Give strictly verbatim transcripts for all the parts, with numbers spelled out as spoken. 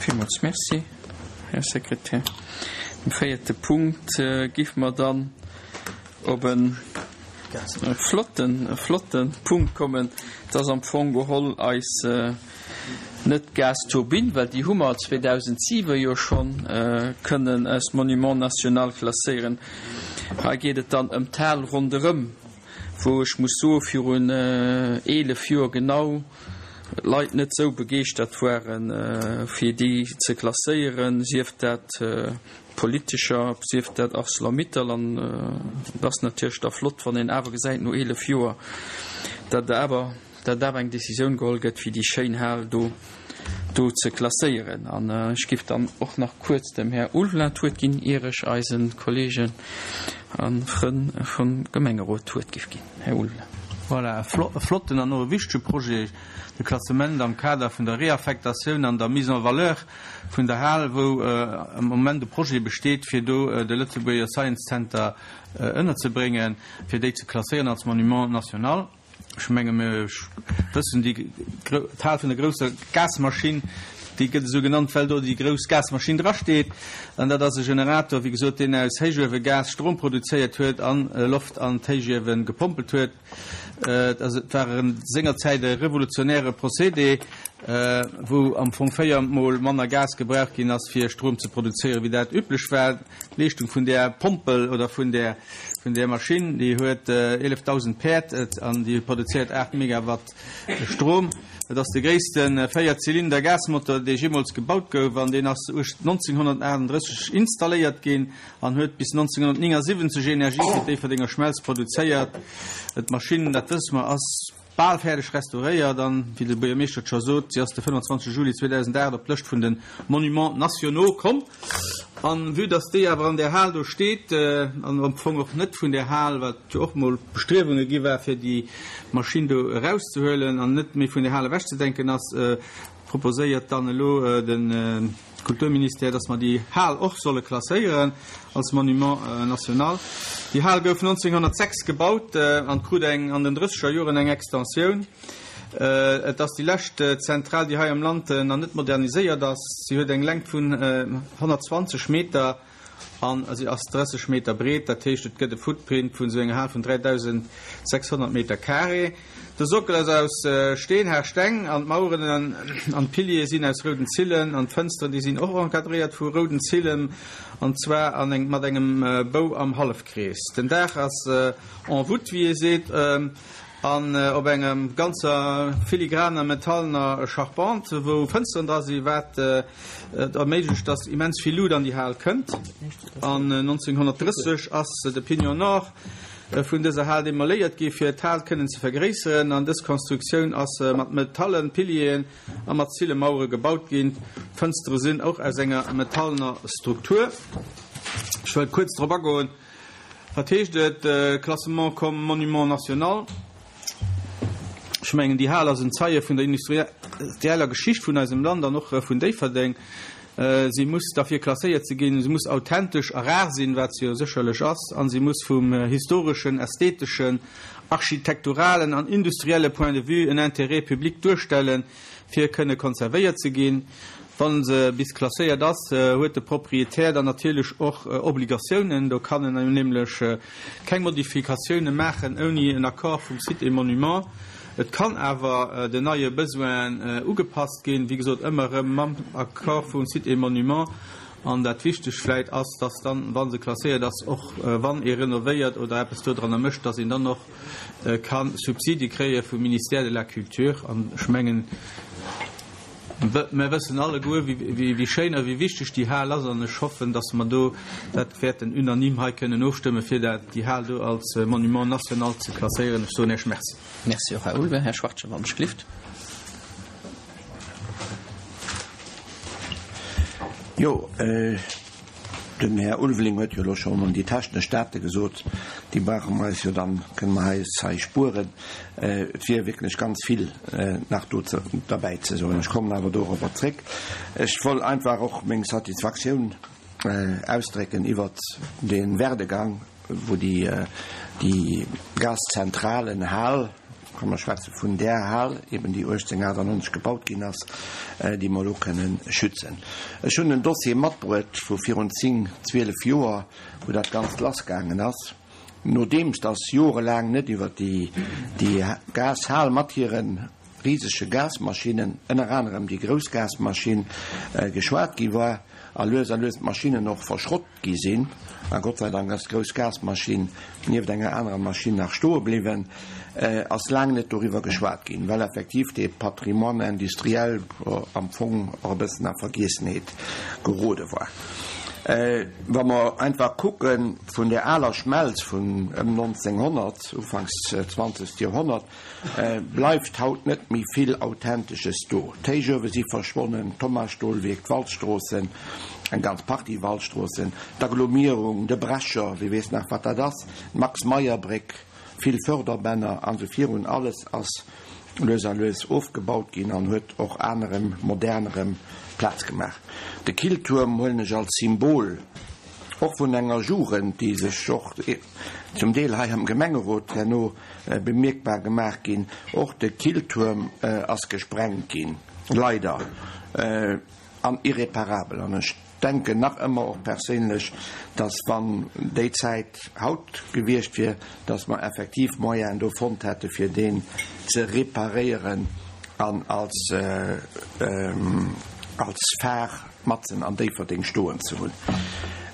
Villmools Merci, Här Sekretär. Dem véierte Punkt géife mer dann op e flotten, e flotte Punkt kommen. Et ass am Fong geholl eis, net d'Gasturbinn, well déi hu mer zweedausentsiwe jo schonn kënnen als Monument national klasséieren. Hei geet et dann ëm d'Hal ronderëm, wou ech muss soen, virun eelef Joer genau d'Leit net esou begeeschtert waren, fir déi ze klasséieren, sief dat Politicher, sief dat Arcelor-Mittal. An et ass natierlech da flott, wann een awer gesäit no eelef Joer, datt awer datt awer eng Décisioun geholl gëtt, fir déi schéin Hal do do ze klasséieren. An ech géif dann och nach kuerz dem Här Ulveling d'Wuert ginn, ier ech eise Kollegen a Frënn vum Gemengerot d'Wuert géif ginn. Här Ulveling. Voilà, e flotten an och e wichtege Projet, de Klassement am Kader vun der Réaffectatioun an der Mise en valeur vun der Hal, wou am Moment e Projet besteet, fir do de Lëtzebuerger Science Center ënnerzebréngen, fir déi ze klasséieren als Monument national. Ech menge mir wëssen, déi d'Hal vun der grousser Gasmaschinn, déi gëtt esou genannt, well do déi grouss Gasmaschinn drasteet. An dat ass e Generator, wéi gesot, deen aus Héichuewegas Strom produzéiert huet a Loft an d'Héichiewe gepompelt huet. Et war sengerzäit e revolutionäre Procédé, wou am Fong véier Mol manner Gas gebraucht ginn ass, fir Strom ze produzéieren, wéi dat üblech war. D'Leeschtung vun där Pompel oder vun där vun där Maschinn, déi huet eelefdausend Päerd an déi produzéiert aacht Megawatt Strom. Et ass de gréisste Véier-Zylinder-Gasmotor, dee jeemools gebaut gouf an deen ass nonzénghonnertaachtenddrësseg installéiert ginn an huet bis nonzénghonnertnéngasiwwenzeg Energie fir d'Déifferdenger Schmelz produzéiert. D'Maschinn, dat wësse mer, ass bal fäerdeg restauréiert an, wéi de Buergermeeschter et scho sot, si ass de fënnefanzwanzeg Juli zweedausendacht op d'Lëscht vun de Monuments nationaux komm. An vue dass déi awer an där Hal do steet, an am Fong och net vun där Hal, wat jo och mol Bestriewunge gi war, fir déi Maschinn do erauszehuelen an net méi vun där Hal ewechzedenken ass, proposéiert dann elo de Kulturministère, dass mer déi Hal och solle klasséieren als Monument national. Déi Hal gouf nonzénghonnertsechs gebaut an krut eng an den drësseger Joren eng Extensioun. Et ass déi lescht Zentral, déi hei am Land nach net moderniséiert ass. Si huet eng Längt vun honnertzwanzeg Meter an si ass drësseg Meter breet. Dat heescht, et gëtt e Footprint vun esou enger Hal vun dräidausendsechshonnert Meter carré. De Sockel ass aus Steen, Haarsteng, an d'Maueren an d'Piliere sinn aus rouden Zillen an d'Fënsteren, déi sinn och encadréiert vu rouden Zillen, an zwar an eng mat engem Bou am Hallefkrees. Den Daach ass en voûte, wéi ee seet, an op engem ganzer filigraner metallener Charpente, wou Fënsteren dra sinn, wat et erméiglecht, dass immens vill Luut an déi Hal kënnt. An nonzénghonnertdrësseg ass de Pignon Nord vun dëser Hal demoléiert gi fir d'Hal kënnen ze vergréisseren, an dës Konstruktioun ass mat metallen Pilieren a mat Zillemauere gebaut ginn. D'Fënstere sinn och aus enger metallener Struktur. Ech wëll kuerz drop agoen, wat heescht et, Classement comme monument national? Ech mengen, déi Hal ass en Zeie vun der industrieller Geschicht vun eisem Land an och vun Déifferdeng. Si muss derfir klasséiert ze ginn, se muss authentesch a rar sinn, wat se jo sécherlech ass, a si muss vum historeschen, ästheteschen, architekturalen an industrielle Point de vue en Intérêt public duerstellen, fir kënne konservéiert ze ginn. Wa se bis klasséiert ass, huet de Proprietär dann natierlech och Obligatiounen. Do kann en nämlech keng Modifikatioune maachen ouni en Accord vum Sites et Monuments. Et kann awer den neie Besoinen ugepasst ginn, wéi gesot ëmmer erëm mam Accord vum Sites et Monuments. An dat Wichtegt vläit ass, dass dann, wa se klasséiert ass, och wann ee renovéiert oder eppes dodranner mécht, dass een dann och ka Subsidie kréie vum Ministère de la Culture. An ech mengen, mer wëssen alleguer, wéi schéin a wéi wichteg déi Hal ass. An ech hoffen, dass mer do dat wäerten unanime hei kënnen ofstëmmen, fir dat, déi Hal do als Monument national ze klasséieren. Ech soen Iech Merci. Merci och, Här Ulveling. Här Schwachtgen, wann ech gelift. Jo, den Här Ulveling huet jo elo schonn déi technesch Date gesot. Déi brauche mer eis jo dann, kënne mer eis hei spueren. Et wier wierklech ganz vill nach do derbäi ze soen. Ech kommen awer dorobber zréck. Ech wollt einfach och meng Satisfaktioun ausdrécken iwwert dee Werdegang, wou déi, déi Gaszentralenhal, ka mer schwätze vun där Hal, eben déi uechtzénhunnertachtannonzeg gebaut ginn ass, déi mer elo kënnen schützen. Ech hunn en Dossier matbruet vu virun zéng, zwielef Joer, wou dat Ganzt lassgaangen ass, nodeems dass jorelaang net iwwer déi, déi Gashal mat hire risege Gasmaschinnen, ënner anerem déi grouss Gasmaschinn, geschwat gi war a lues a lues d'Maschinnen och verschrott gi sinn, a Gott sei Dank ass d'grouss Gasmaschinn nieft enger anerer Maschinn nach stoe bliwwen, ass laang net doriwwer geschwat ginn, well effektiv dee Patrimoine industriel am Fong och e bëssen a Vergiessenheet gerode war. Wa mer einfach kucke vun där aler Schmelz vun ëm nonzénghonnert, ufanks zwanzegt Joerhonnert, bleift haut net méi vill Authentesches do. D'Héichuewe si verschwonnen, d'Thomasstolwierk, d'Walzstroossen, eng ganz Partie Walzstroossen, d'Agglomierung, de Brecher, wie weess nach wat dat ass, d'Max-Meyer-Bréck, vill Förderbänner an esou virun, alles ass lues a lues ofgebaut ginn an huet och anerem, modernerem Plaz gemaach. De Killtuerm huelen ech als Symbol och vun enger Jugend, déi sech och zum Deel hei am Gemengerot herno bemierkbar gemaach ginn. Och de Killtuerm ass gesprengt ginn, leider, an irreparabel. An ech denken nach ëmmer och perséinlech, dass wann déi Zäit haut gewiescht wier, dass mer effektiv Moyenen do fonnt hätte fir deen ze reparéieren an als als Phare matzen an Déifferdeng stoen ze hunn.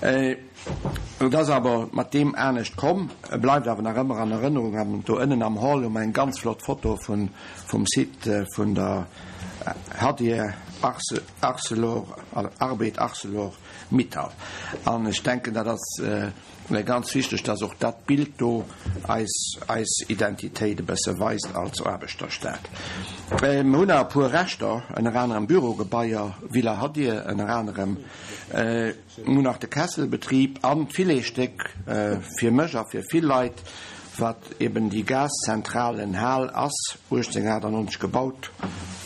Et ass awer mat deem anescht komm, e bleift awer nach ëmmer an Erënnerung. An do ënnen am Hall hu mer eng ganz flott Foto vun vum Site vun der Hadir Arcelor, Arbed Arcelor Mittal. An ech denken, dat ass ganz wichteg, dass och dat Bild do eis eis Identitéit e bësse weist als Aarbechterstad. Mer hunn nach e puer Reschter, ënner anerem Bürogebaier, Villa Hadir ënner anerem. Mer hunn nach de Kesselbetrib an d'Filetsstéck fir mech a fir vill Leit, wat eben déi Gaszentralenhal ass, uechtzénhunnertachtannonzeg gebaut,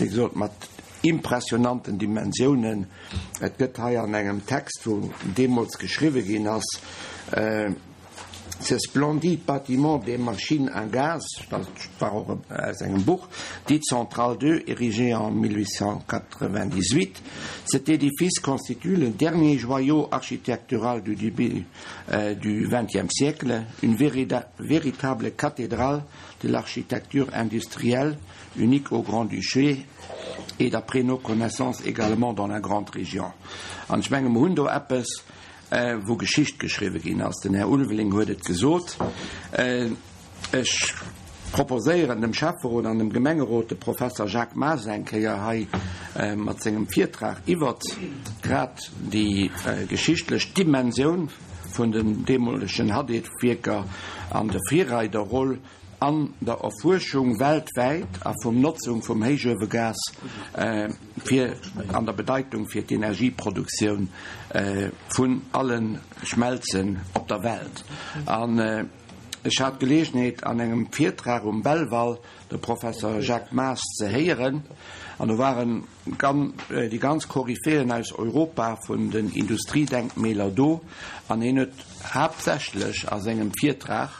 wéi gesot mat impressionanten Dimensiounen. Et gëtt hei an engem Text, wou deemools geschriwwe ginn ass, Ce splendide bâtiment des machines à gaz, dat war och aus engem Buch, dite Centrale deux, érigé en mille huit cent quatre-vingt-dix-huit, cet édifice constitue le dernier joyau architectural du début du vingtième siècle, une véritable cathédrale de l'architecture industrielle, unique au Grand-Duché et d'après nos connaissances également dans la grande région. An ech menge mer hunn do eppes, wou Geschicht geschriwwe ginn ass. Den Här Ulveling huet et gesot. Ech proposéieren dem Schäfferot an dem Gemengerot, de Professer Jacques Maas eng Kéier hei mat sengem Virtrag iwwert grad déi geschichtlech Dimensioun vun den deemolegen Hadid-Wierker an der Virreiderroll an der Erfuerschung weltwäit a vum Notzung vum Héichuewegas fir an der Bedeitung fir d'Energieproduktioun vun alle Schmelzen op der Welt. An ech hat d'Geleegenheet an engem Virtrag um Belval de Professor Jacques Maas ze héieren, an do waren déi ganz Koryphéen aus Europa vun den Industriedenkmäler do, an hien huet haaptsächlech a sengem Virtrag,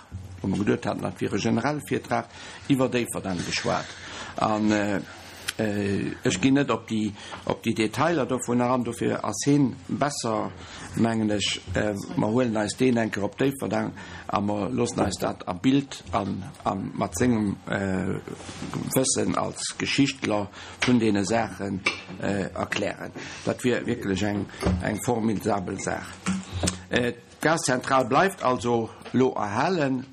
wou mer geduet haten, dat wier e generelle Virtrag, iwwer Déifferdeng geschwat. An ech ginn net op déi, op déi Detailer dovun eran, dofir ass hien besser, mengen ech. Mer huelen eis deen eng Kéier op Déifferdeng a mer loossen eis dat a Bild an a mat sengem Wëssen als Geschichtler vun deene Saachen erklären. Dat wier wierklech eng, eng formidabel Saach. D'Gaszentral bleift also lo erhalen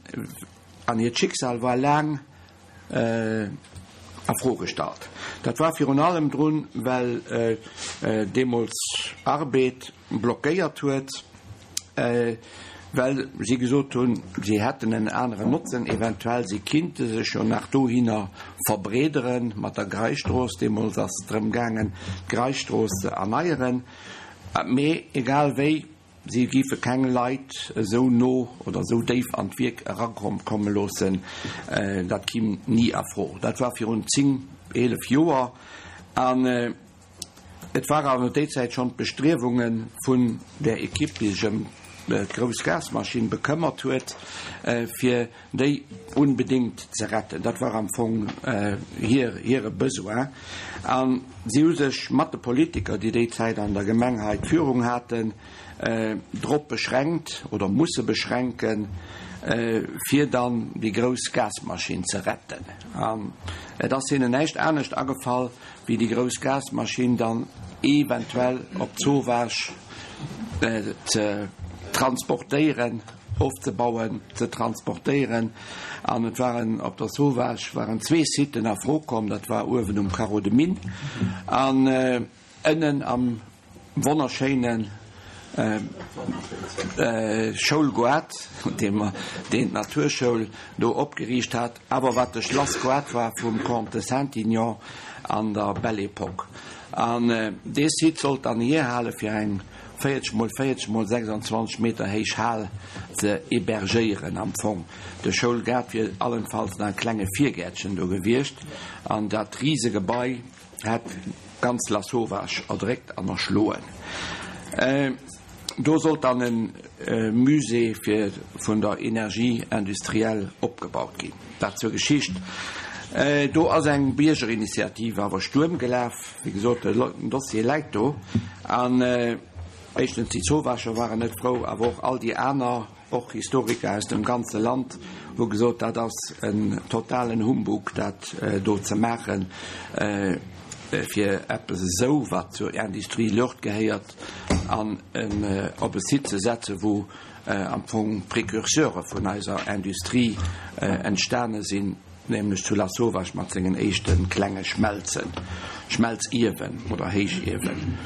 an hiert Schicksal war laang a Fro gestallt. Dat war virun allem drun, well deemools Arbed blockéiert huet, well si gesot hunn, si hätten en aneren Notzen, eventuell si kinnte sech jo nach dohinner verbreedere mat der Greistrooss. Deemools ass et drëm gaangen, d'Greistrooss ze erneieren. Mee egal wéi, Si géife keng Leit esou no oder esou déif an d'Wierk erakomme loossen, dat kimm ni a Fro. Dat war virun zéng, eelef Joer an et war awer déi Zäit schonn d'Bestriewunge vun där Ekipp, déi sech ëm d'grouss Gasmaschinn bekëmmert huet, fir déi unbedéngt ze retten. Dat war am Fong hir, hire Besoin. A si hu sech mat de Politiker, déi déi Zäit an der Gemeng hei d'Führung haten, drop beschränkt oder musse beschränken, fir dann déi grouss Gasmaschinn ze retten. An et ass hinnen näischt anescht agefall, wéi déi grouss Gasmaschinn dann eventuell op Zowaasch ze transportéieren, ofzebauen, ze transportéieren. An et waren op der Zowaasch waren zwee Siten a Fro komm, dat war uewen um Carreau de Mine an ënnen am wonnerschéinen Schoulgoart, deen d'Naturschoul do opgeriicht hat, awer wat de Schlassgoart war vum Comte de Saintignon an der Belle Époque. An dee Site sollt dann hierhale fir eng véierzeg mol véierzeg mol sechsundzwanzeg Meter héich Hal ze hébergéieren am Fong. De Schoulgaart wier allenfalls nach e klenge Virgäertchen do gewiescht an dat Risegebai hätt ganz Lasauvage erdréckt an erschloen. Do sollt dann e Musée fir vun der Energie industrielle opgebaut ginn. Dat zur Geschicht. Do ass eng Biergerinitiativ awer Stuerm gelaf. Wéi gesot, den Dossier läit do. An éischtens déi Zowaacher waren net frou, awer och all déi aner, och Historiker aus dem ganze Land, hu gesot, dat ass en totalen Humbug, dat do ze maachen, fir eppes esou, wat zur Industrie lourde gehéiert, an op e Site ze setzen, wou am Fong d'Précurseure vun eiser Industrie entstane sinn, nämlech zu Lasauvage mat sengen éischte klenge Schmelzen, Schmelziewen oder Héichiewen.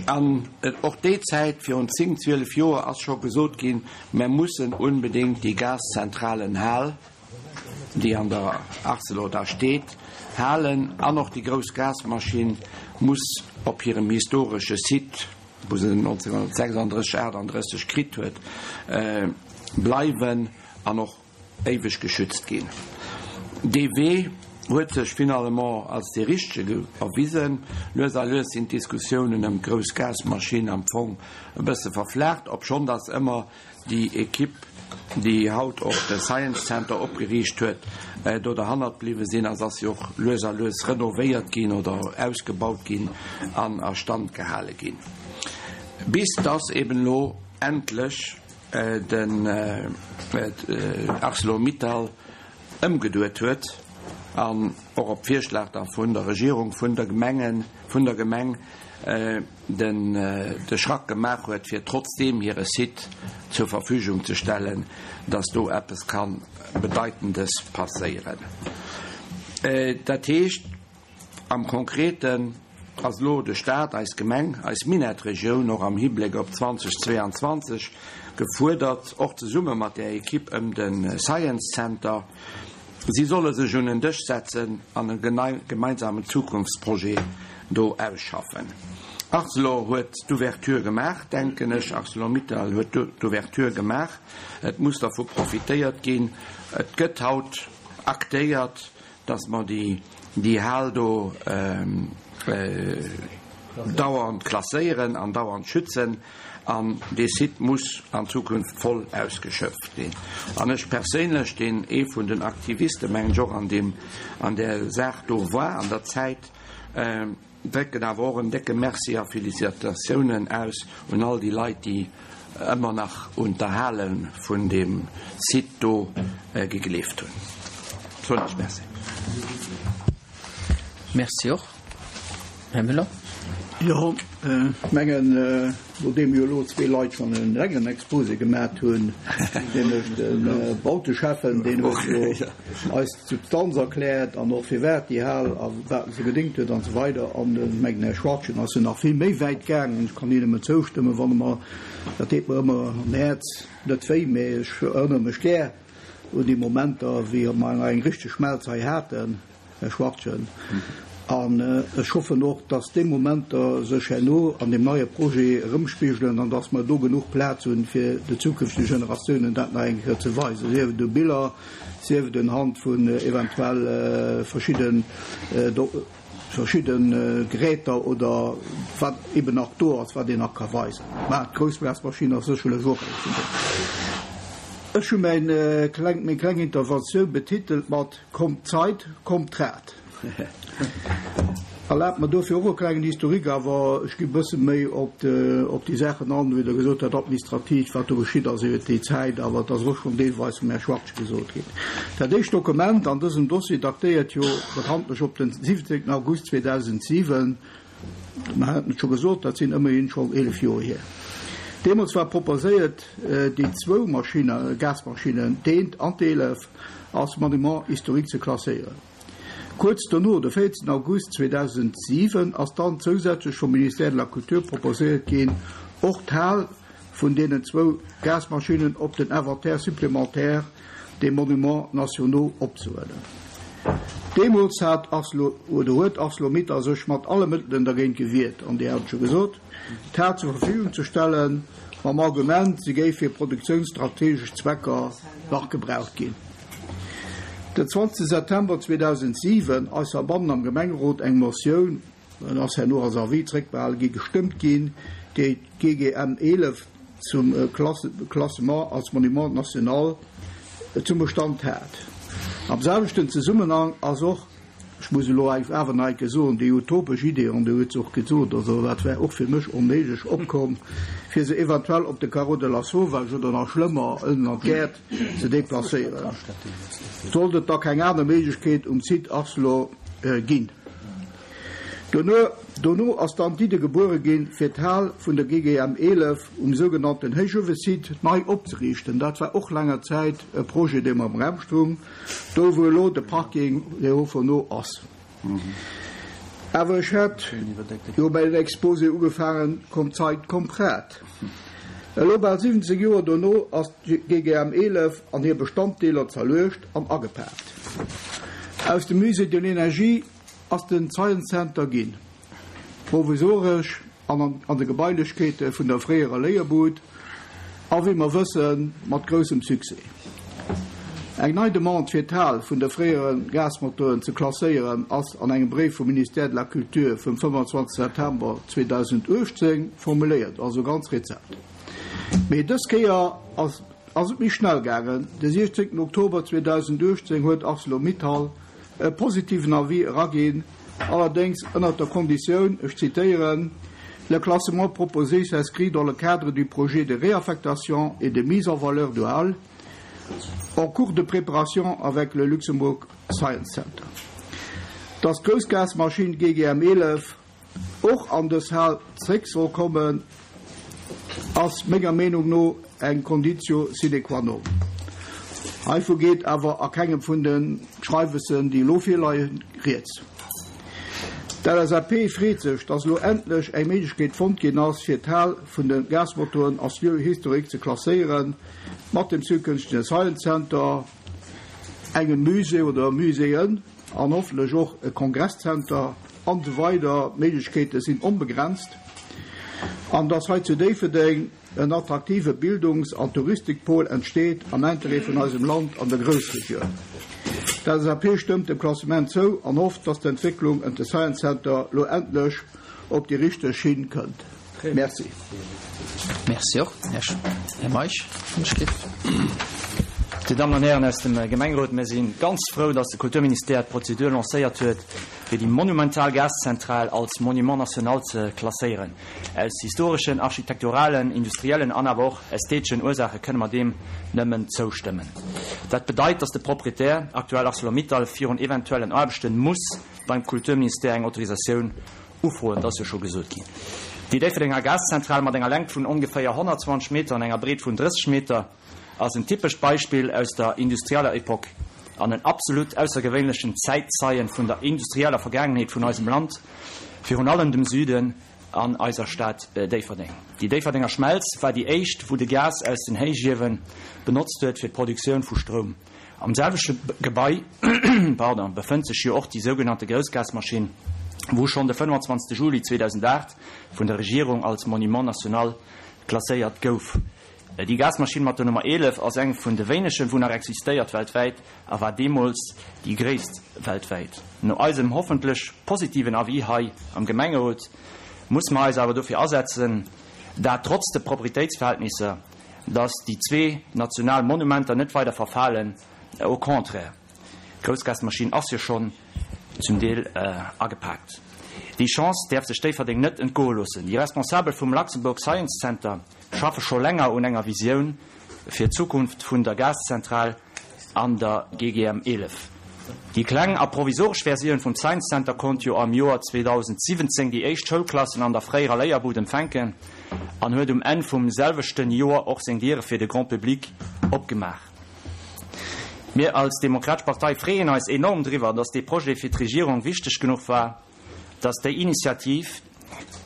An och déi Zäit, virun zéng, zwielef Joer, ass scho gesot ginn, Mer mussen unbedéngt déi Gaszentralenhal, déi an der Arcelor da steet, halen an och déi grouss Gasmaschinn muss op hirem historesche Site, wou se nonzénghunnertsechsunddrësseg, aachtunddrësseg kritt huet, bleiwen an och éiweg geschützt ginn. Dee Wee huet sech finalement als dee richtege erwisen. Lues a lues sinn d'Diskussiounen ëm d'grouss Gasmaschinn am Fong e bësse verflaacht, obschonn datt ëmmer déi Equipe, déi haut och de Science Center opgeriicht huet, do derhannert bliwwe sinn. A se ass jo och lues a lues renovéiert ginn oder ausgebaut ginn an a Stand gehale ginn, bis dass eben elo endlech den Arcelor-Mittal ëmgeduet huet an och op Virschlag da vun der Regierung, vun der Gemengen, vun der Gemeng den de Schrack gemaach huet, fir trotzdeem hire Site zur Verfügung ze stellen, dass do eppes ka Bedeitendes passéieren. Dat heescht am Konkreten ass elo de Stat, eis Gemeng, eis Minettregioun och am Hibléck op zweitausendzweiundzwanzeg gefuerdert, och zesumme mat där Equipe ëm de Science Center, si solle sech un en Dësch setzen an e gemeinsamen Zukunftsprojet do ausschaffen. Arcelor huet d'Ouverture gemaach, denken ech, Arcelor-Mittal huet d'Ouverture gemaach. Et muss dervu profitéiert ginn. Et gëtt haut aktéiert, dass mer déi déi Hal do dauernd klasséieren an dauernd schützen. An dee Site muss an Zukunft voll ausgeschöpft ginn. An ech perséinlech, deen ee vun den Aktiviste, mengen ech, och an deem, an där Saach do war an der Zäit, drécken awer och en décke Merci a Felicitatiounen aus un all déi Leit, déi ëmmer nach un d'Erhale vun deem Site do gegleeft hunn. Soen ech Merci. Merci och. Här Müller. Jo, ech mengen, nodeem jo elo zwee Leit schonn en längeren Exposé gemat hunn, nämlech de Bauteschäffen, deen huet jo eis d'Substanz erkläert an och firwat déi Hal a wat se gedéngt huet an esou weider, an ech mengen, den Här Schwarzchen ass jo nach vill méi wäit gaangen. Ech kann him nëmmen zoustëmmen, wann e mer, dat deet mer ëmmer am Häerz net wéi, mä ech erënnere mech gär un déi Momenter, wéi mer nach eng richteg Schmelz hei haten, Här Schwarzchen. An ech hoffen och, dass déi Momenter sech herno an deem neie Projet erëmspigelen an dass mer do genuch Plaz hunn, fir de zukünftege Generatiounen dat nach eng Kéier ze weisen, sief et u Biller, sief et unhand vun eventuell verschidden verschidde Geräter oder wat eben nach do ass, wat een nach ka weisen. Mä d'Groussgasmaschinn ass sécherlech och eng vun deenen. Ech hu mäin kleng, meng kleng Interventioun betitelt mat Kommt d'Zeit, kommt d'Rad. Erlaabt mer dofir och e klengen Historique, awer ech gi e bësse méi op op déi Saachen an, wéi Der gesot hat, administrativ, wat do geschitt ass iwwert déi Zäit, awer et ass och schonn deelweis vum Här Schwachtgen gesot ginn. Dat éischt Dokument an dësem Dossier datéiert jo bekanntlech op den siwwenzéngten August zweedausendsiwen Mer haten et scho gesot, dat sinn ëmmerhin schonn eelef Joer hier. Deemools war proposéiert, déi zwou Maschinne, Gasmaschinnen, d'eent an d'eelef, als Monument historique ze klasséieren. Kuerz dono, de véierzéngten August zweedausendsiwen ass dann zousätzlech vum Ministère de la Culture proposéiert ginn, och d'Hal vun deenen zwou Gasmaschinnen op den Inventaire supplémentaire des Monuments nationaux opzehuelen. Deemools hat Arcelor, oder huet Arcelor-Mittal sech mat alle Mëttelen dergéint gewiert, an Dir hat et scho gesot, d'Hal zur Verfügung ze stellen, mam Argument, se géif fir produktiounsstrategesch Zwecker nach gebraucht ginn. Den zwanzegste September zweedausentsiwen ass heibannen am Gemengerot eng Motioun, en ass herno als Avis zréckbehale gi, gestëmmt ginn, déi d'G G M eelef zum Klassement als Monument national zum Bestand hat. Am selwechten Zesummenhang ass och, ech muss elo awer nach eng Kéier soen, déi utopesch Idee, an Dir hutt se och gesot, also dat wär och fir mech onméiglech, opkomm, fir se eventuell op de Carreau de Lasauvage oder nach schlëmmer ënnen an d'Gäert ze deplacéieren, sollt et da keng aner Méiglechkeet um Site Arcelor ginn. Dono dono ass dann d'Idde gebuere ginn, fir d'Hal vun der G G M eelef um sougenannten Héichuewesite nei opzeriichten. Dat war och länger Zäit e Projet, dee am Raum stoung, do wou elo de Parking Léon Fourneau ass. Awer ech hat jo mäin Exposé ugefaangen, Kommt d'Zeit, kommt d'Rad. Elo bal siwwenzéng Joer dono ass d'G G M eelef an hir Bestanddeeler zerluecht an agepaakt. Aus dem Musée de l'Énergie ass den Science Center ginn, provisoresch an an de Gebailechkeete vun der fréierer Léierbud, a wéi mer wëssen, mat groussem Succès. Eng nei Demande fir d'Hal vun de fréiere Gasmotoren ze klasséieren ass an engem Bréif vum Ministère de la Culture vum fënnefanzwanzeg September zweedausenduechtzéng formuléiert, also ganz rezent. Mee dës Kéier ass ass et méi schnell gaangen, de siechzéngten Oktober zweedausenduechtzéng huet Arcelor-Mittal e positiven Avis eraginn, allerdéngs ënnert der Konditioun, ech zitéieren, Le classement proposé s'inscrit dans le cadre du projet de réaffectation et de mise en valeur de halles en cours de préparation avec le Luxembourg Science Center. Dass d'Groussgasmaschinn G G M eelef och an dës Hal zréck soll kommen, ass menger Meenung no eng Conditio sine qua non. Heivu geet awer a kengem vun de Schreiwessen, déi elo virleien, rieds. D' L S A P freet sech, dass elo endlech eng Méiglechkeet fonnt ginn ass, fir d'Hal vun de Gasmotoren als Lieu historique ze klasséieren, mat dem zukünftege Science Center, engem Musée oder Muséeën an hoffentlech och e Kongresszenter an esou weider. D'Méiglechkeete sinn onbegrenzt. An dass hei zu Déifferdeng en attraktive Bildungs an Touristikpol entsteet am Interêt vun eisem Land an der Groussregioun. D' L S A P stëmmt dem Klassement zou an hofft, dass d'Entwécklung ëm de Science Center lo endlech op déi richteg Schinn kënnt. Merci. Merci och, Här Meisch. Dir Dammen an Hären aus dem Gemengerot, mir si ganz frou, dass de Kulturministère d'Prozedur lancéiert huet, fir déi monumental Gaszentral als Monument national ze klasséieren. Aus historeschen, architekturalen, industriellen an awer och ästheteschen Ursaache kënne mer deem nëmmen zoustëmmen. Dat bedeit, dass de Proprietär, aktuell ArcelorMittal, virun eventuellen Aarbechten muss beim Kulturministère eng Autorisatioun ufroen, dat ass jo scho gesot ginn. Déi Déifferdenger Gaszentral mat enger Längt vun ongeféier honnertzwanzeg Meter an enger Breet vun drësseg Meter ass en typescht Beispill aus der industrieller Epoch an en absolut aussergewéinlechen Zäitzeien vun der industrieller Vergaangenheet vun eisem Land, virun allem dem Süden an eiser Stad Déifferdeng. Déi Déifferdenger Schmelz war déi éischt, wou de Gas aus den Héichiewe benotzt huet fir d'Produktioun vu Stroum. Am selwechte Gebai pardon, befënnt sech jo och déi sougenannte Groussgasmaschinn, wou schonn de fënnefanzwanzegste Juli zweedausendacht vun der Regierung als Monument national klasséiert gouf. Déi Gasmaschinn mat der Nummer eelef ass eng vun de wéinegen, wou nach existéiert weltwäit a war deemools déi gréisst weltwäit. No eisem hoffentlech positiven Avis hei am Gemengerot muss mer eis awer dofir asetzen, dat trotz de Proprietéitsverhältnisser, dass déi zwee national Monumenter net weider verfalen, au contraire, d'Groussgasmaschinn ass jo schonn zum Deel agepaakt. Déi Chance däerf sech Déifferdeng net entgoe loossen. Déi Responsabel vum Luxembourg Science Center schaffe scho länger un enger Visioun fir d'Zukunft vun der Gaszentral an der G G M eelef. Déi kleng a provisoresch Versioun vum Science Center konnt jo am Joer zweedausendsiwwenzéng déi éischt Schoulklassen an der fréierer Léierbud empfänken an huet um Enn vum selwechten Joer och seng Diere fir de Grand Public opgemaach. Mir als Demokratesch Partei freeën eis enorm driwwer, dass dee Projet fir d'Regierung wichteg genuch war, dass déi Initiativ,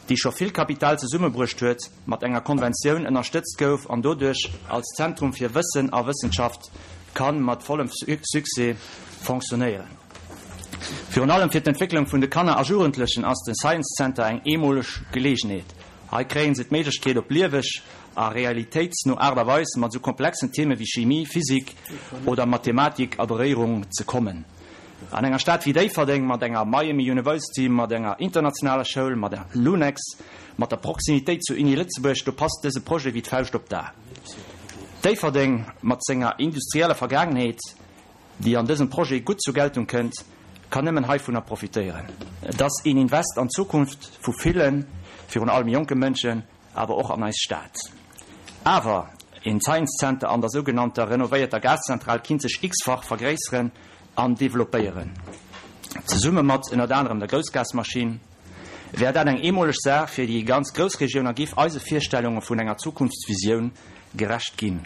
déi scho vill Kapital zesummebruecht huet, mat enger Konventioun ënnerstëtzt gouf an doduerch als Zentrum fir Wëssen a Wëssenschaft ka mat vollem Succès fonctionnéieren. Virun allem fir d'Entwécklung vun de Kanner a Jugendlechen ass de Science Center eng eemoleg Geleegenheet. Hei kréien se d'Méiglechkeet op lieweg a realitéitsno Aart a Weis mat sou komplexen Theme wéi Chimie, Physik oder Mathematik a Beréierung ze kommen. An enger Stad wéi Déifferdeng, mat enger Miami University, mat enger internationaler Schoul, mat der Lunex, mat der Proximitéit zur Uni Lëtzebuerg, do passt dëse Projet wéi d'Fauscht op d'A. Déifferdeng mat senger industrieller Vergaangenheet, déi an dësem Projet gutt zur Geltung kënnt, kann nëmmen heivunner profitéieren. Et ass een Invest an d'Zukunft vu villen, virun allem jonke Mënschen, awer och an eis Stad. Awer een Science Center an der sougenannter renovéierter Gaszentral kinnt sech x-fach vergréisseren an developpéieren. Zesumme mat ënnert anerem der Groussgasmaschinn wär dat eng eemoleg Saach fir déi ganz Groussregioun a giff eise Virstellunge vun enger Zukunftsvisioun gerecht ginn.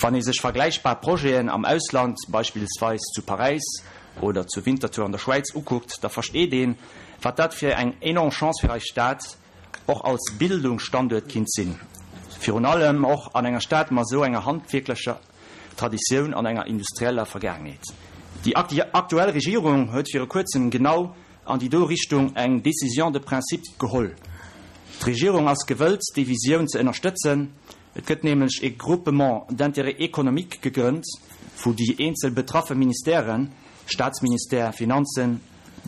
Wann ee sech vergläichbar Projeten am Ausland, beispillsweis zu Paräis oder zu Winterthur an der Schwäiz, ukuckt, da versteet een, wat dat fir eng enorm Chance fir eis Stad och als Bildungsstanduert kinnt sinn. Virun allem och an enger Stad mat esou enger handwierklecher Traditioun an enger industrieller Vergaangenheet. Déi aktuell Regierung huet viru kuerzem genau an déi do Richtung eng Décision de principe geholl. D'Regierung ass gewëllt, déi Visioun ze ënnerstëtzen. Et gëtt nämlech e Groupement d'intérêt économique gegrënnt, wou déi eenzel betraffe Ministèren, Staatsministère, Finanzen,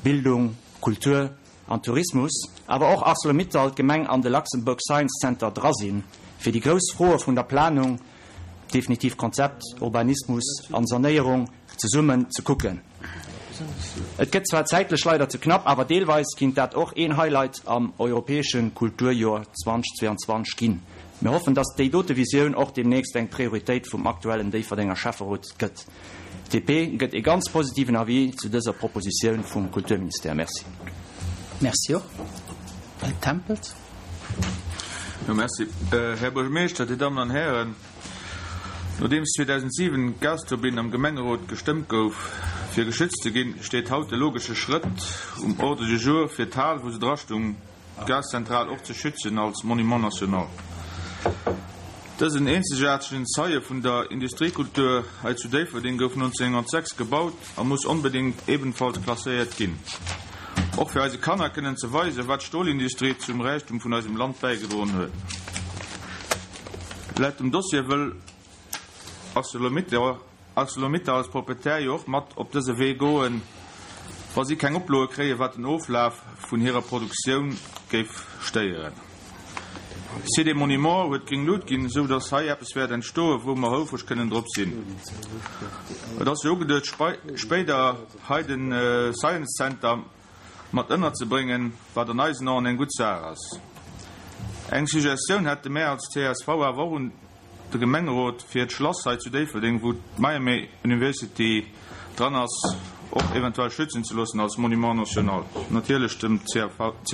Bildung, Kultur an Tourismus, awer och Arcelor-Mittal, d'Gemeng an de Luxembourg Science Center dra sinn, fir déi grouss Froe vun der Planung, definitivt Konzept, Urbanismus an Sanéierung zesummen ze kucken. Et gëtt zwar zäitlech leider ze knapp, awer deelweis kinnt dat och een Highlight am europäesche Kulturjoer zweedausendzweeanzwanzeg ginn. Mir hoffen, dass déi dote Visioun och deemnächst eng Prioritéit vum aktuellen Déifferdenger Schäfferot gëtt. D P gëtt e ganz positiven Avis zu dëser Propositioun vum Kulturministère. Merci. Merci och. Här Tempels. Jo, merci. Här Buergermeeschter, Dir Dammen an Hären, nodeems zweedausentsiwen d'Gasturbinn am Gemengerot gestëmmt gouf, fir geschützt ze ginn, steet haut de logesche Schrëtt um Ordre du jour fir d'Hal, wou se drastung, d'Gaszentral och ze schützen als Monument national. Dësen eenzegaartegen Zeie vun der Industriekultur hei zu Déifferdeng gouf nonzénghonnertsechs gebaut a muss onbedéngt ebenfalls klasséiert ginn. Och fir eise Kanner kënnen ze weisen, wat d'Stolindustrie zum Räichtum vun eisem Land bäigedroen huet. Laut dem Dossier wëll ArcelorMittal als Proprietär jo och mat op dëse Wee goen, wa si keng Oploe kréien, wat den Oflaf vun hirer Produktioun géif stéieren. Site des Monuments huet gréng Luucht ginn, esou datt hei eppes wäert entstoen, wou mer houfreg kënnen drop sinn. Et ass jo ugeduecht, spéider hei de Science Center mat ënnerzebréngen, wat an eisen Aen eng gutt Saach ass. Eng Suggestioun hätte mär als C S V awer och un de Gemengerot fir d'Schlass hei zu Déifferdeng, wou d'Miami University dran ass, och eventuell schützen ze loossen als Monument national. Natierlech dem C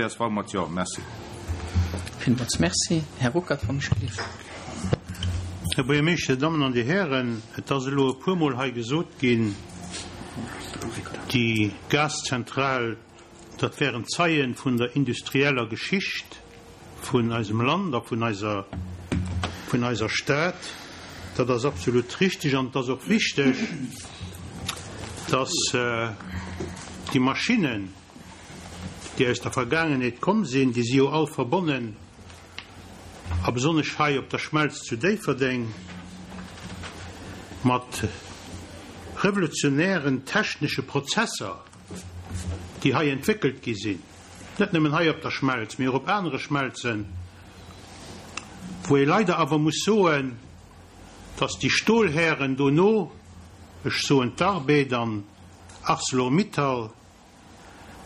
S V mat Jo. Merci. Villmools merci. Här Ruckert, wann ech gelift. Här Buergermeeschter, Dir Dammen an Dir Hären, et ass elo e puermol hei gesot ginn, déi Gaszentral, dat wären Zeien vun der industrieller Geschicht vun eisem Land a vun eiser vun eiser Stad. Dat ass absolut richteg an et ass och wichteg, dass déi Maschinnen, déi aus der Vergaangenheet komm sinn, déi si jo all verbonnen a besonnesch hei op der Schmelz zu Déifferdeng, mat revolutionären technesche Prozesser, déi hei entwéckelt gi sinn, net nëmmen hei op der Schmelz, mee och op anere Schmelzen, wou ee leider awer muss soen, dass déi Stolhären dono, ech soen d'Arbed an Arcelor-Mittal,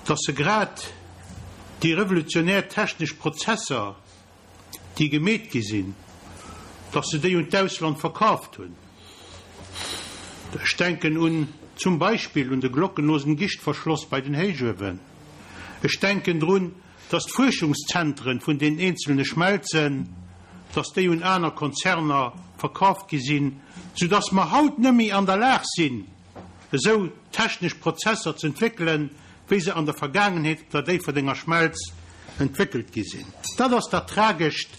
dass se grad déi revolutionär technesch Prozesser, déi gemeet gi sinn, dass se déi un d'Ausland verkaaft hunn. Ech denken un zum Beispill un de glockenlosen Gischtverschloss bei den Héichuewen. Ech denken drun, dass d'Fuerschungszentren vun den eenzelne Schmelzen, dass déi un aner Konzerner verkaaft gi sinn, soudass mer haut net méi an der Lag sinn, esou technesch Prozesser z'entwéckelen, wéi se an der Vergaangenheet op der Déifferdenger Schmelz entwéckelt gi sinn. Dat ass dat Tragescht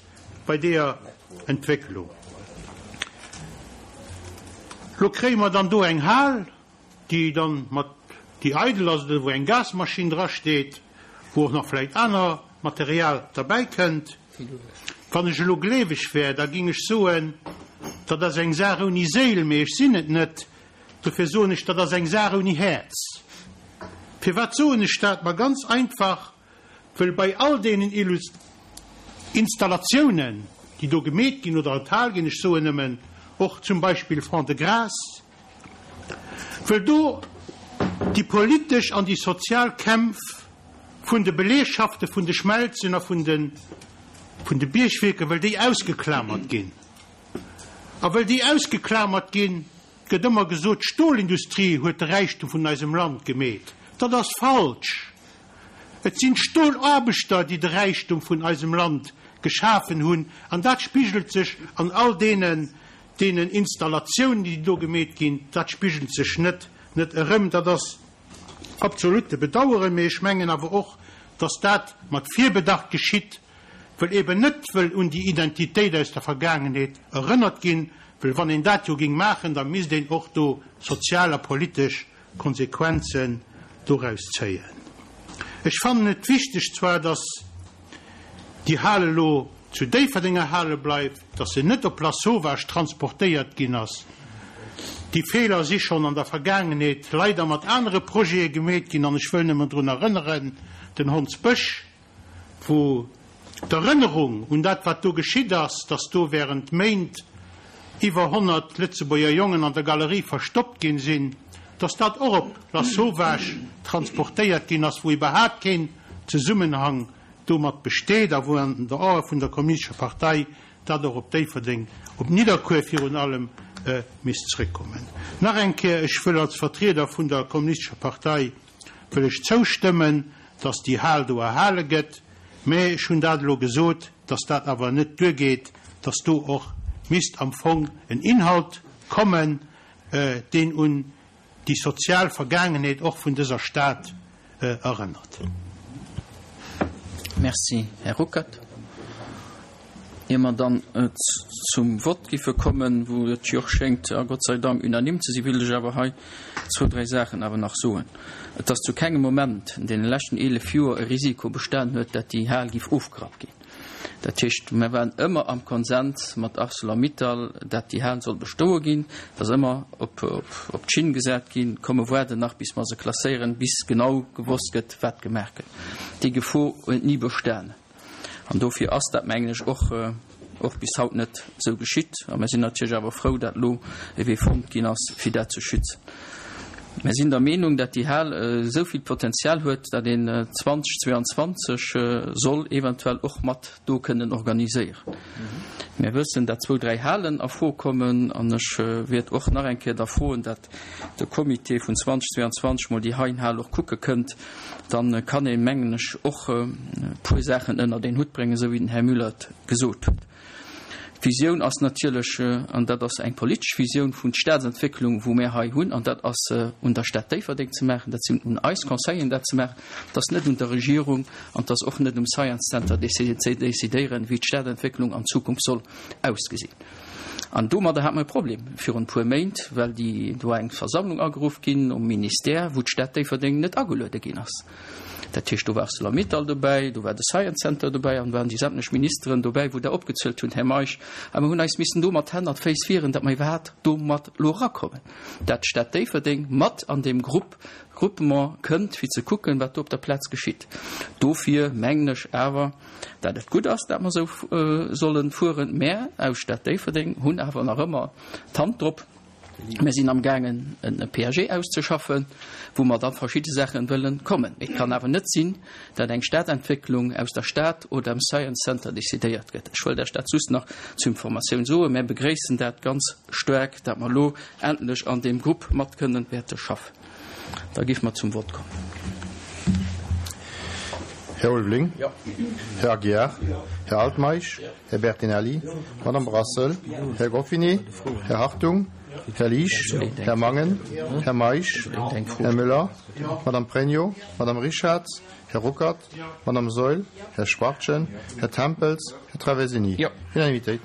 bei deeër Entwécklung. Lo kréie mer dann do eng Hal, déi dann mat, déi eidel ass oder wou eng Gasmaschinn drasteet, wou och nach vläicht aner Material derbäi kënnt. Wann ech elo gleeweg wär, da ging ech soen, dat ass eng Saach ouni Séil, mee ech sinn et net. Dofir soen ech, dat ass eng Saach ouni Häerz. Firwat soen ech dat? Ma ganz einfach, wëll bei all deenen Installatiounen, déi do gemeet ginn oder enthal ginn, ech soen nëmmen och zum Beispill Fond-de-Gras, wëll do déi politesch an déi sozial Kämpf vun de Beleegschafte vun de Schmelzen a vun de vun de Biergwierker, wëll déi ausgeklamert ginn. A wëll déi ausgeklamert ginn, gëtt ëmmer gesot, d'Stolindustrie huet de Räichtum vun eisem Land gemeet. Dat ass falsch. Et sinn d'Stolaarbechter, déi de Räichtum vun eisem Land geschafen hunn, an dat spigelt sech an all deenen, deenen Installatiounen, déi do gemeet ginn, dat spigelt sech net, net erëm. Dat ass absolut ze bedauern, mee ech mengen awer och, dass dat mat Virbedacht geschitt, wëll eben net wëll un déi Identitéit aus der Vergaangenheet erënnert ginn, wëll wann een dat jo géing maachen, da misst een och do sozial a politesch Konsequenzen doraus zéien. Ech fannen et wichteg zwar, dass déi Hal elo zu Déifferdeng erhale bleift, dass se net op Lasauvage transportéiert ginn ass. Déi Feeler si schonn an der Vergaangenheet leider mat anere Projete gemeet ginn an ech wëll nëmmen drun erënneren, den Hondsbësch, wou d'Erënnerung un dat, wat do geschitt ass, dass do während Méint iwwer honnert Lëtzebuerger Jongen an der Galerie verstoppt ginn sinn, dass dat och op Lasauvage transportéiert ginn ass, wou iwwerhaapt keen Zesummenhang domat besteet a wou an der Ae vun der Kommunistescher Partei dat och op Déifferdeng, op Nidderkuer virun allem, misst zréckkommen. Nach eng Kéier, ech wëll als Vertrieder vun der Kommunistescher Partei wëll ech zoustëmmen, dass déi Hal do erhale gëtt, mä ech hunn dat elo gesot, dass dat awer net duergeet, dass do och misst am Fong en Inhalt kommen, deen un déi sozial Vergaangenheet och vun dëser Stad erënnert. Merci, Här Ruckert. Ier mer dann zum Vott giffe kommen, wou et jo och schéngt, a Gott sei Dank unanime ze sinn, wéilt ech awer hei zwou, dräi Saachen awer nach soen. Et ass zu kengem Moment an deene leschten eelef Joer e Risiko bestanen huet, dat déi Hal giff ofgerappt ginn. Dat heescht, mer waren ëmmer am Konsens mat Arcelor-Mittal, dat déi Hal soll bestoe ginn. Et ass ëmmer op, op, op d'Schinn gesat ginn, komm mer waarden nach, bis mer se klasséieren, bis genau gewosst gëtt, wat gemaach gëtt. Déi Gefor huet ni bestanen. An dofir ass dat, mengen ech, och, och bis haut net esou geschitt. A mer sinn natierlech awer frou, dat elo e Wee fonnt ginn ass, fir dat ze schützen. Mer sinn der Meenung, dat déi Hal esou vill Potenzial huet, dat een zweitausendzweiundzwanzeg soll eventuell och mat do kënnen organiséieren. Mir wëssen, dat zwou, dräi Halen a Fro kommen, an ech wäert och nach eng Kéier da froen, dat de Comité vun zweitausendzweiundzwanzeg mol déi heien Hal och kucke kënnt. Dann kann een, mengen ech, och e puer Saachen ënnert een Hutt bréngen, esou wéi den Här Müller et gesot huet. D'Visioun ass natierlech, an dat ass eng politesch Visioun vun Staatsentwécklung, wou mir hei hunn, an dat ass un der Stad Déifferdeng ze maachen, dat sinn un eis Conseilleren dat ze maachen, dat ass net un der Regierung an dat ass och net um Science Center ze decidéieren, wéi d'Stadentwécklung an Zukunft soll ausgesinn. An domadder hat mer e Problem virun e puer Méint, well déi do eng Versammlung ageruff ginn um Ministère, wou d'Stad Déifferdeng net ageluede ginn ass. Dat heescht, do war ArcelorMittal dobäi, do war de Science Center dobäi an do waren déi sämtlech Ministeren dobäi, wou Der opgezielt hunn, Här Meisch. A mer hunn eis missen do mat Hänn a Féiss wieren, datt mer iwwerhaapt do mat elo erakommen, dat d'Stad Déifferdeng mat an deem Grupp, Groupement kënnt, fir ze kucken, wat do op der Plaz geschitt. Dofir mengen ech awer, dat et gutt ass, dat mer esou solle fueren. Mä aus Stad Déifferdeng hunn awer nach ëmmer d'Hand drop. Mir sinn amgaangen en P A G auszeschaffen, wou mer da verschidde Saachen wëllen kommen. Mee et kann awer net sinn, dat eng Stadentwécklung aus der Stad oder am Science Center decidéiert gëtt. Ech wëllt Iech dat just nach zur Informatioun soen. Mär begréissen dat ganz staark, dat mer elo endlech an deem Grupp mat kënnen wäerte schaffen. Da géife mer zum Vott kommen. Här Ulveling. Här Aguiar. Här Altmeisch. Här Bertinelli. Madame Brassel. Här Goffini. Här Hartung. Här Liesch. Här Mangen. Här Meisch. Här Müller. Madame Pregno. Madame Richards. Här Ruckert. Madame Saeul. Här Schwachtgen. Här Tempels. Här Traversini. Jo. Unanimitéit.